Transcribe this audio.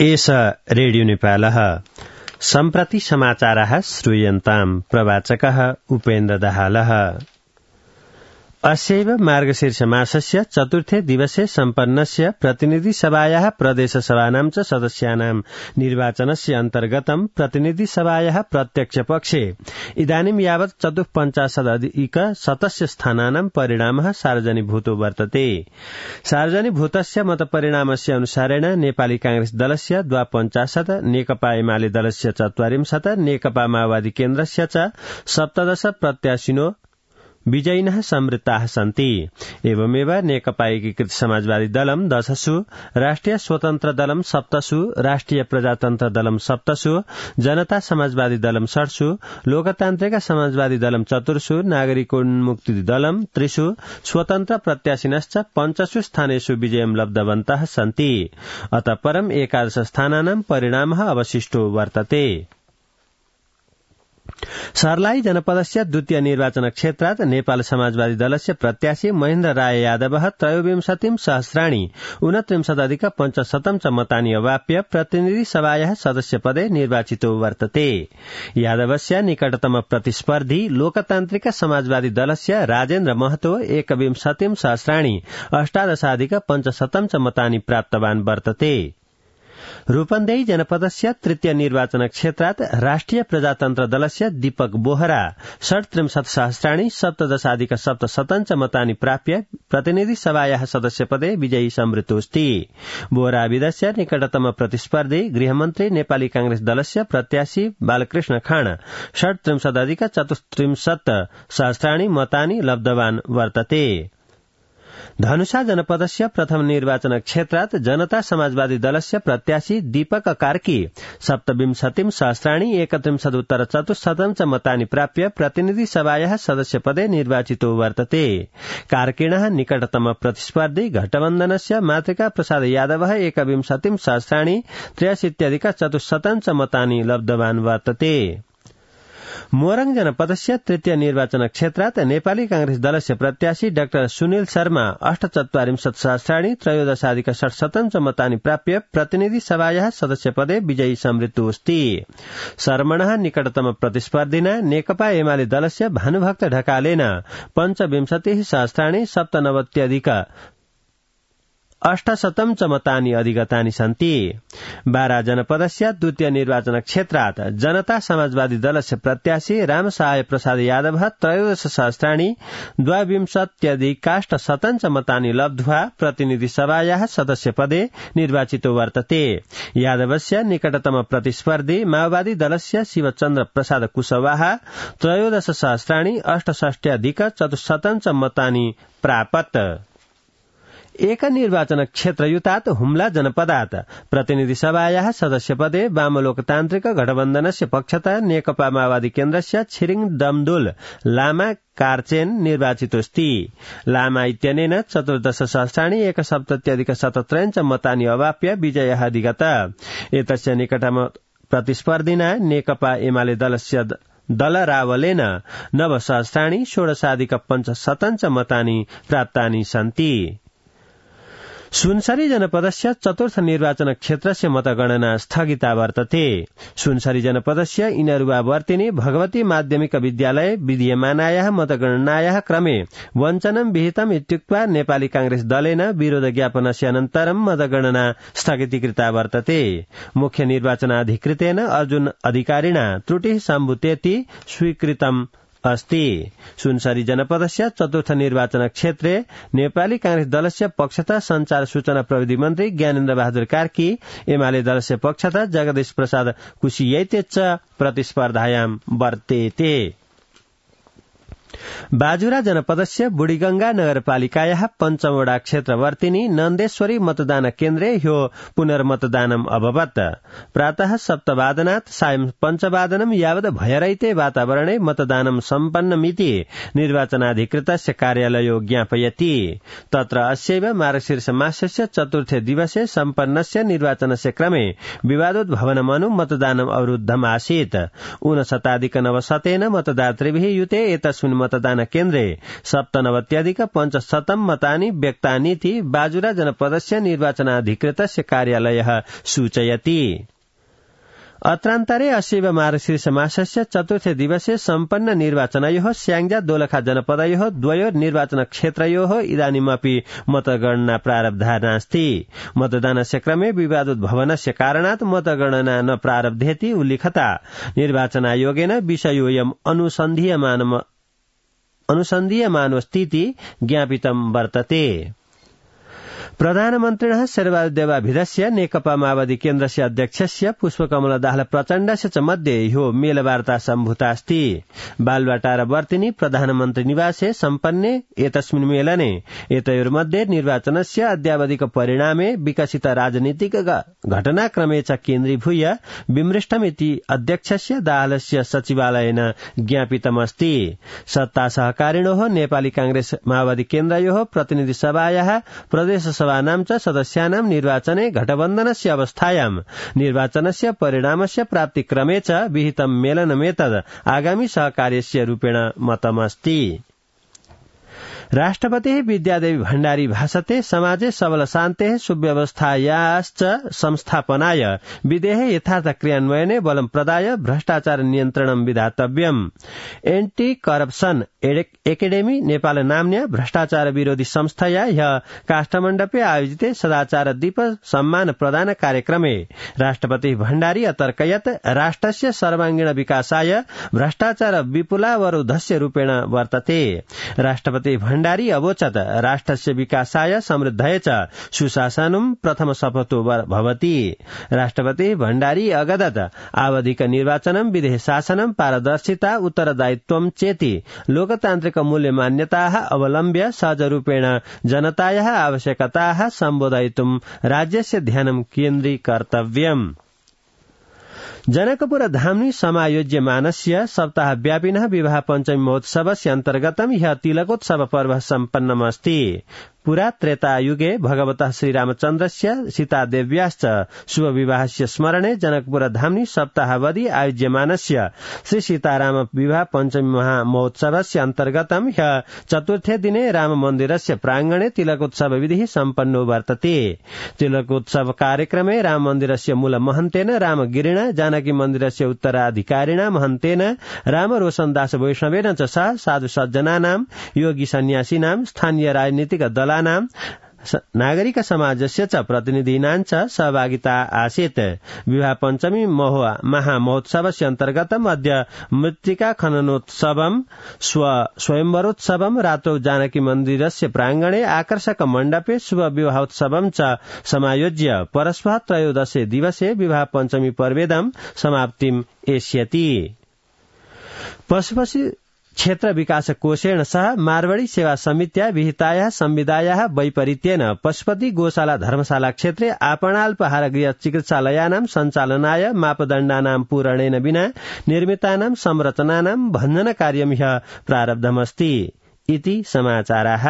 एष रेडियो नेपालः सम्प्रति समाचाराः श्रूयन्ताम् प्रवाचकः उपेन्द्र दाहालः। अस्यैव मार्गशीर्ष मासस्य चतुर्थे दिवसे सम्पन्नस्य प्रतिनिधि सभायाः प्रदेश सभानां च सदस्यानां निर्वाचनस्य अन्तर्गतं प्रतिनिधि सभायाः प्रत्यक्ष पक्षे इदानीं यावत् 54,000 स्थानानां परिणामः सार्वजनिकभूतो वर्तते। सार्वजनिकभूतस्य मतपरिणामस्य अनुसारेण नेपाली कांग्रेस दलस्य 52, नेकपा एमाले दलस्य 44, नेकपा माओवादी केन्द्रस्य च 17 प्रत्याशिनो विजयिनः संवृत्ताः सन्ति। एवमेव नेकपा एकीकृत समाजवादी दलम् 10, राष्ट्रिय स्वतन्त्र दलम् 7, राष्ट्रिय प्रजातन्त्र दलम् 7, जनता समाजवादी दलम् 7, लोकतान्त्रिक समाजवादी दलम् 4, नागरिकोन्मुक्ति दलम् 3, स्वतन्त्र प्रत्याशिनश्च 5 स्थानेषु विजयं लब्धवन्तः सन्ति। अतः परम् 11 स्थानानां परिणामः अवशिष्टो वर्तते। सर्लाही जनपदस्य द्वितीय निर्वाचन क्षेत्रात् नेपाल समाजवादी दलस्य प्रत्याशी महेन्द्र राय यादवः 23,029,550 च मतानि अवाप्य प्रतिनिधि सभायाः सदस्यपदे निर्वाचितो वर्तते। यादवस्य निकटतम प्रतिस्पर्धी लोकतान्त्रिक समाजवादी दलस्य राजेन्द्र महतो 21,000,088,500 च मतानि प्राप्तवान् वर्तते। रूपन्देही जनपदस्य तृतीय निर्वाचन क्षेत्रात् राष्ट्रिय प्रजातन्त्र दलस्य दीपक बोहरा 37,000,070,700 च मतानि प्राप्य प्रतिनिधि सभायाः सदस्यपदे विजयी संवृतोऽस्ति। बोहरा विदस्य निकटतम प्रतिस्पर्धी गृहमन्त्री नेपाली कांग्रेस दलस्य प्रत्याशी बालकृष्ण खाँड 37,034,000 मतानि लब्धवान् वर्तते। धनुषा जनपदस्य प्रथम निर्वाचन क्षेत्रात् जनता समाजवादी दलस्य प्रत्याशी दीपक कार्की 27,031,400 च मतानि प्राप्य प्रतिनिधि सभायाः सदस्यपदे निर्वाचितो वर्तते। कार्किणः निकटतम प्रतिस्पर्धी घटबन्धनस्य मातृका प्रसाद यादवः 21,063,400 च मतानि लब्धवान् वर्तते। मोरङ जनपदस्य तृतीय निर्वाचन क्षेत्रात् नेपाली कांग्रेस दलस्य प्रत्याशी डाक्टर सुनिल शर्मा 48,000,013,13,600 च मतानि प्राप्य प्रतिनिधि सभायाः सदस्यपदे विजयी संवृत्तोऽस्ति। शर्मणः निकटतम प्रतिस्पर्धिना नेकपा एमाले दलस्य भानुभक्त ढकालेन 25,097,97,800 च मतानि अधिगतानि सन्ति। बारा जनपदस्य द्वितीय निर्वाचन क्षेत्रात् जनता समाजवादी दलस्य प्रत्याशी रामसहाय प्रसाद यादवः 13,000,022,800 च मतानि लब्ध्वा प्रतिनिधि सभायाः सदस्यपदे निर्वाचितो वर्तते। यादवस्य निकटतम प्रतिस्पर्धी माओवादी दलस्य शिवचन्द्र प्रसाद कुशवाहा 13,068,400 च मतानि प्रापत्। एक निर्वाचन क्षेत्रयुतात् हुम्ला जनपदात् प्रतिनिधि सभायाः सदस्यपदे वामलोकतान्त्रिक गठबन्धनस्य पक्षतः नेकपा माओवादी केन्द्रस्य छिरिङ दमदुल लामा कार्चेन निर्वाचितोऽस्ति। लामा इत्यनेन 14,177,017 च मतानि अवाप्य विजयः अधिगत। एतस्य निकटतम प्रतिस्पर्धिना नेकपा एमाले दलस्य दल रावलेन 9,16,500 च मतानि प्राप्तानि सन्ति। सुनसरी जनपदस्य चतुर्थ निर्वाचन क्षेत्रस्य मतगणना स्थगिता वर्तते। सुनसरी जनपदस्य इनरुवावर्तिनी भगवती माध्यमिक विद्यालय विधीयमानायाः मतगणनायाः क्रमे वञ्चनं विहितम् इत्युक्त्वा नेपाली कांग्रेस दलेन विरोध ज्ञापनस्य अनन्तरं मतगणना स्थगितीकृता वर्तते। मुख्य निर्वाचनाधिकृतेन अर्जुन अधिकारिणा त्रुटिः सम्भूतेति स्वीकृतम् अस्ति। सुनसरी जनपदस्य चतुर्थ निर्वाचन क्षेत्रे नेपाली कांग्रेस दलस्य पक्षतः संचार सूचना प्रविधि मन्त्री ज्ञानेन्द्र बहादुर कार्की, एमाले दलस्य पक्षतः जगदीश प्रसाद कुशियैते च प्रतिस्पर्धायां वर्तेते। बाजुरा जनपदस्य बुढीगंगा नगरपालिकायाः पञ्चमवटा क्षेत्रवर्तिनी नन्देश्वरी मतदान केन्द्रे ह्यो पुनर्मतदानम् अभवत्। प्रातः 7:00 सायं 5:00 यावत् भयरहिते वातावरणे मतदानं सम्पन्नमिति निर्वाचनाधिकृतस्य कार्यालयो ज्ञापयति। तत्र अस्यैव मार्गशीर्ष मासस्य चतुर्थे दिवसे सम्पन्नस्य निर्वाचनस्य क्रमे विवादोद्भवनमनु मतदानम् अवरुद्धम् आसीत्। 59,900 मतदातृभिः युते एतस्मिन् मतदान केन्द्रे 97.5% मतानि व्यक्तानीति बाजुरा जनपदस्य निर्वाचनाधिकृतस्य कार्यालयः सूचयति। अत्रान्तरे अस्यैव मार्गशीर्ष मासस्य चतुर्थे दिवसे सम्पन्न निर्वाचनयोः स्याङ्जा दोलखा जनपदयोः द्वयोः निर्वाचन क्षेत्रयोः इदानीमपि मतगणना प्रारब्धा नास्ति। मतदानस्य क्रमे विवादोद्भवनस्य कारणात् मतगणना न प्रारब्धेति उल्लिखता निर्वाचनायोगेन विषयोऽयम् अनुसन्धीयमानोऽस्तीति ज्ञापितं वर्तते। प्रधानमन्त्रिणः शेरबहादुर नेकपा माओवादी केन्द्रस्य अध्यक्षस्य पुष्पकमल दाहाल प्रचण्डस्य च मध्ये ह्यो मेलवार्ता सम्भूतास्ति। बालुवाटार वर्तिनी प्रधानमन्त्री निवासे सम्पन्ने एतस्मिन् मेलने एतयोर्मध्ये निर्वाचनस्य अद्यावधिक परिणामे विकसित राजनीतिक घटनाक्रमे च केन्द्रीभूय विमृष्टमिति अध्यक्षस्य दाहालस्य सचिवालयेन ज्ञापितमस्ति। सत्ता सहकारिणोः नेपाली कांग्रेस माओवादी केन्द्रयोः प्रतिनिधि सभायाः प्रदेश सभानां च सदस्यानां निर्वाचने गठबन्धनस्य अवस्थायां निर्वाचनस्य परिणामस्य प्राप्तिक्रमे च विहितं मेलनमेतद् आगामी सहकार्यस्य रूपेण मतमस्ति। राष्ट्रपतिः विद्यादेवी भण्डारी भाषते समाजे सबल शान्तेः सुव्यवस्थायाश्च संस्थापनाय विधेः यथार्थ क्रियान्वयने बलं प्रदाय भ्रष्टाचार नियन्त्रणं विधातव्यम्। एन्टी करप्शन एकेडेमी नेपाल नाम्न्या भ्रष्टाचार विरोधी संस्थया ह्यः काष्ठमण्डपे आयोजिते सदाचार दीप सम्मान प्रदान कार्यक्रमे राष्ट्रपति भण्डारी अतर्कयत् राष्ट्रस्य सर्वांगीण विकासाय भ्रष्टाचार विपुलावरोधस्य रूपेण वर्तते। राष्ट्रपति भण्डारी अवोचत् राष्ट्रस्य विकासाय समृद्धये च सुशासनं प्रथम शपथो भवति। राष्ट्रपति भण्डारी अगदत् आवधिक निर्वाचनं विधेय शासनं पारदर्शिता उत्तरदायित्वं चेति लोकतान्त्रिक मूल्य मान्यताः अवलम्ब्य सहजरूपेण जनतायाः आवश्यकताः सम्बोधयितुं राज्यस्य ध्यानं केन्द्रीकर्तव्यम्। जनकपुर धाम्नि समायोज्यमानस्य सप्ताहव्यापिनः विवाह पञ्चमी महोत्सवस्य अन्तर्गतं ह्यः तिलकोत्सव पर्व सम्पन्नमस्ति। पुरा त्रेतायुगे भगवतः श्रीरामचन्द्रस्य सीतादेव्याश्च शुभविवाहस्य स्मरणे जनकपुर धाम्नि सप्ताहावधि आयोज्यमानस्य श्री सीताराम विवाह पञ्चमी महामहोत्सवस्य अन्तर्गतं ह्यः चतुर्थे दिने राममन्दिरस्य प्राङ्गणे तिलकोत्सव विधिः सम्पन्नो वर्तते। तिलकोत्सव कार्यक्रमे राममन्दिरस्य मूल महन्तेन रामगिरिणा जानकी मन्दिरस्य उत्तराधिकारिणा महन्तेन रामरोशनदास वैष्णवेन च सह साधु सज्जनानां योगी सन्यासीनां स्थानीय राजनीतिक दलानां नागरिक समाजस्य च प्रतिनिधीनां च सहभागिता आसीत्। विवाह पञ्चमी महामहोत्सवस्य अन्तर्गतम् अद्य मृत्तिका खननोत्सवं स्वयंवरोत्सवं रात्रौ जानकी मन्दिरस्य प्राङ्गणे आकर्षक मण्डपे शुभ विवाहोत्सवं च समायोज्य परस्पर त्रयोदशे दिवसे विवाह पञ्चमी पर्वेदं समाप्तिम् एष्यति। पशुपक्षी क्षेत्र विकास कोषेण सह मारवाड़ी सेवा समित्या विहितायाः संविदायाः वैपरीत्येन पशुपति गोशाला धर्मशाला क्षेत्रे आपणाल्पहार गृह चिकित्सालयानां सञ्चालनाय मापदण्डानां पूरणेन विना निर्मितानां संरचनानां भञ्जन कार्यं ह्यः प्रारब्धमस्ति इति समाचाराः।